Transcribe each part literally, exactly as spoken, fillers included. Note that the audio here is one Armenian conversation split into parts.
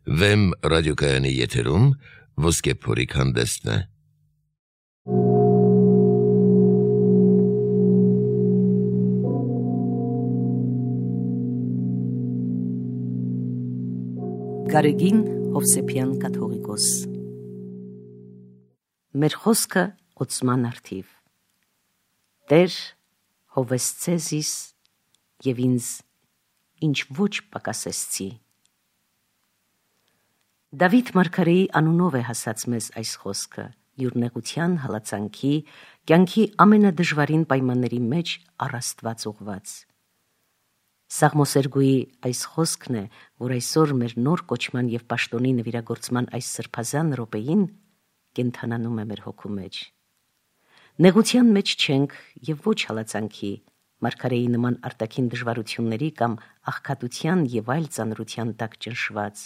Վեմ ռադիոկայանի եթերում ոսկե փորիկ հանդեսն է։ Գարեգին Հովսեփյան կաթողիկոս։ Մեր խոսքը օծման արդիվ։ Տեր հովեսցեզիս և ինձ ինչ ոչ պակասեցցի։ Դավիթ մարգարեի անունով է հասած մեզ այս խոսքը, յուր նեղության, հալածանքի, կյանքի ամենադժվարին պայմանների մեջ առ Աստված ուղված։ Սաղմոսերգուի այս խոսքն է, որ այսօր մեր նոր կոչման և պաշտոնի նվիրագործման այս սրբազան րոպեին կենթանանում է մեր հոգու մեջ։ Նեղության մեջ չենք և ոչ հալածանքի, մարգարեի նման արտաքին դժվարությունների կամ աղքատության և այլ ծանրության տակ ճնշված,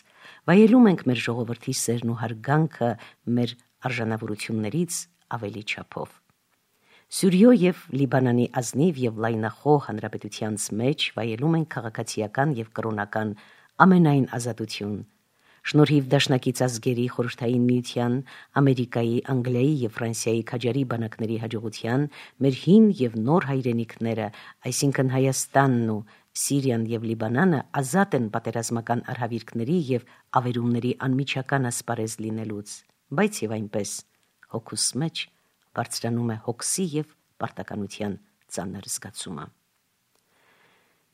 վայելում ենք մեր ժողովրդի սերն ու հարգանքը մեր արժանավորություններից ավելի չափով։ Սյուրիո և Լիբանանի ազնիվ և լայնախոհ հանրապետությանց մեջ վայելում ենք քաղաքացիական և կրոնական ամենայն ազատություն, շնորհիվ դաշնակից ազգերի, Խորհրդային Միության, Ամերիկայի, Անգլիայի և Ֆրանսիայի քաջարի բանակների հաջողության, մեր հին և նոր հայրենիքները, այսինքն Հայաստանն ու Սիրիան և Լիբանանը ազատ են պատերազմական արհավիրքների և ավերումների անմիջական ասպարեզ լինելուց, բայց և այնպես հոգուս մեջ բարձրանում է հոգսի և պարտականության ծանր զգացումը։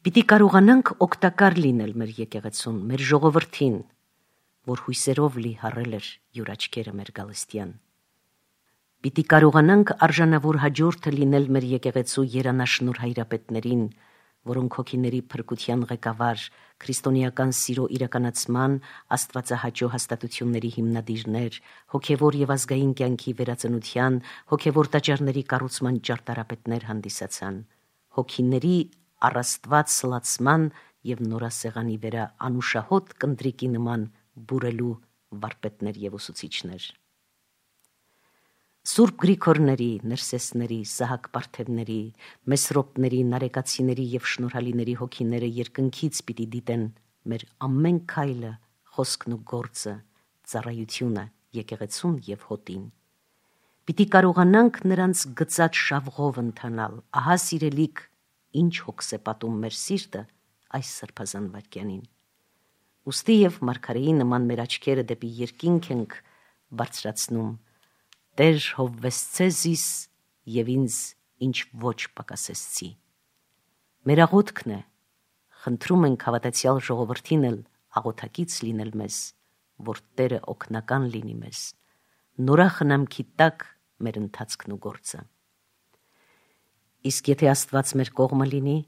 Պիտի կարողանանք օգտակար լինել մեր եկեղեցուն, մեր ժողովրդին, որ հույսերով լի հառել էր յուր աչքերը մեր գալստյան։ Պիտի կարողանանք արժանավոր հաջորդը լինել մեր եկեղեցու երանաշնորհ հայրապետներին, որոնք հոգիների փրկության ղեկավար, քրիստոնեական սիրո իրականացման, աստվածահաճո հաստատությունների հիմնադիրներ, հոգևոր և ազգային կյանքի վերածնության, հոգևոր տաճարների կառուցման ճարտարապետներ հանդիսացան, հոգիների առ Աստված սլացման և նորասեղանի վերա անուշահոտ կնդրիկի նման բուրելու վարպետներ և ուսուցիչներ։ Սուրբ Գրիգորների, Ներսեսների, Սահակ Պարթևների, Մեսրոպների, Նարեկացիների և Շնորհալիների հոգիները երկնքից պիտի դիտեն մեր ամեն քայլը, խոսքն ու գործը, ծառայությունը եկեղեցուն և հոտին։ Պիտի կարողանանք նրանց գծած շավղով ընթանալ, ահա սիրելիք, ինչ հոգս է պատում մեր սիրտը այս սրբազան վայրկյանին։ Ուստի և մարգարեի նման մեր աչքերը դեպի երկինք ենք բարձրացնում, Տեր հովվեսցեզիս և ինձ ինչ ոչ պակասեցցի։ Մեր աղոթքն է, խնդրում ենք հավատացյալ ժողովրդին էլ աղոթակից լինել մեզ, որ Տերը օգնական լինի մեզ, նորախնամքի տակ մեր ընթացքն ու գործը։ Իսկ եթե Աստված մեր կողմը լինի,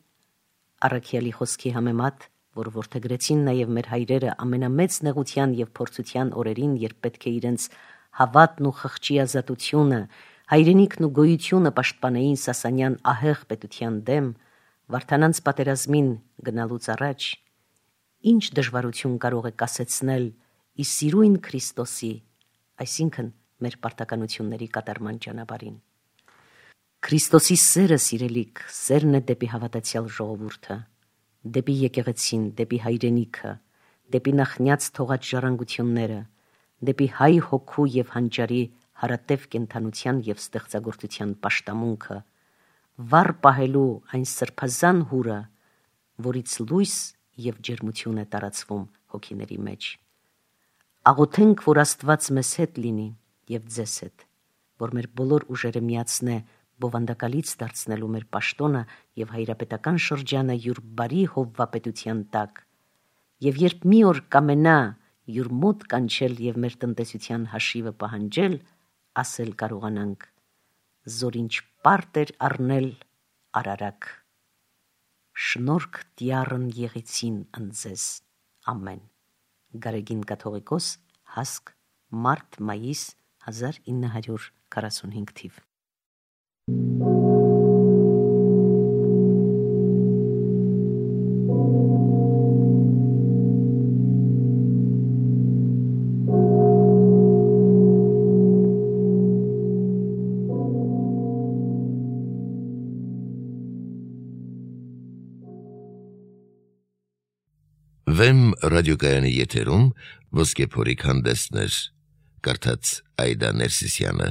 առաքյալի խոսքի համեմատ, որ որդեգրեցին նաև մեր հայրերը ամենամեծ նեղության և փորձության օրերին, երբ պետք է իրենց հավատն ու խղճի ազատությունը, հայրենիքն ու գոյությունը պաշտպանեին Սասանյան ահեղ պետության դեմ, Վարդանանց պատերազմին գնալուց առաջ, ինչ դժվարություն կարող է կասեցնել ի սիրույն Քրիստոսի, այսինքն մեր պարտականությունների կատարման ճանապարհին։ Քրիստոսի սերը, սիրելիք, սերն է դեպի հավատացյալ ժողովուրդը, դեպի եկեղեցին, դեպի հայրենիքը, դեպի նախնյաց թողած ժառանգությունները, դեպի հայ հոգու և հանճարի հարատև կենդանության և ստեղծագործության պաշտամունքը, վառ պահելու այն սրբազան հուրը, որից լույս և ջերմություն է տարածվում հոգիների մեջ։ Աղոթենք, որ Աստված մեզ հետ լինի և ձեզ հետ, որ մեր բոլոր ուժերը միացնե բովանդակալից դարձնելու մեր պաշտոնը և հայրապետական շրջանը յուր բարի հովվապետության տակ, և երբ մի օր կամենա յուր մոտ կանչել և մեր տնտեսության հաշիվը պահանջել, ասել կարողանանք. «Զոր ինչ պարտ էր առնել արարակ, շնորհք տյառն եղեցին ընձեզ, ամեն»։ Գարեգին կաթողիկոս, Հասկ, մարտ-մայիս հազար ինը հարյուր քառասունհինգ թիվ։ Վեմ ռադիոկայանի եթերում ոսկե փորիկ հանդեսներ, կարդաց Այդա Ներսիսյանը։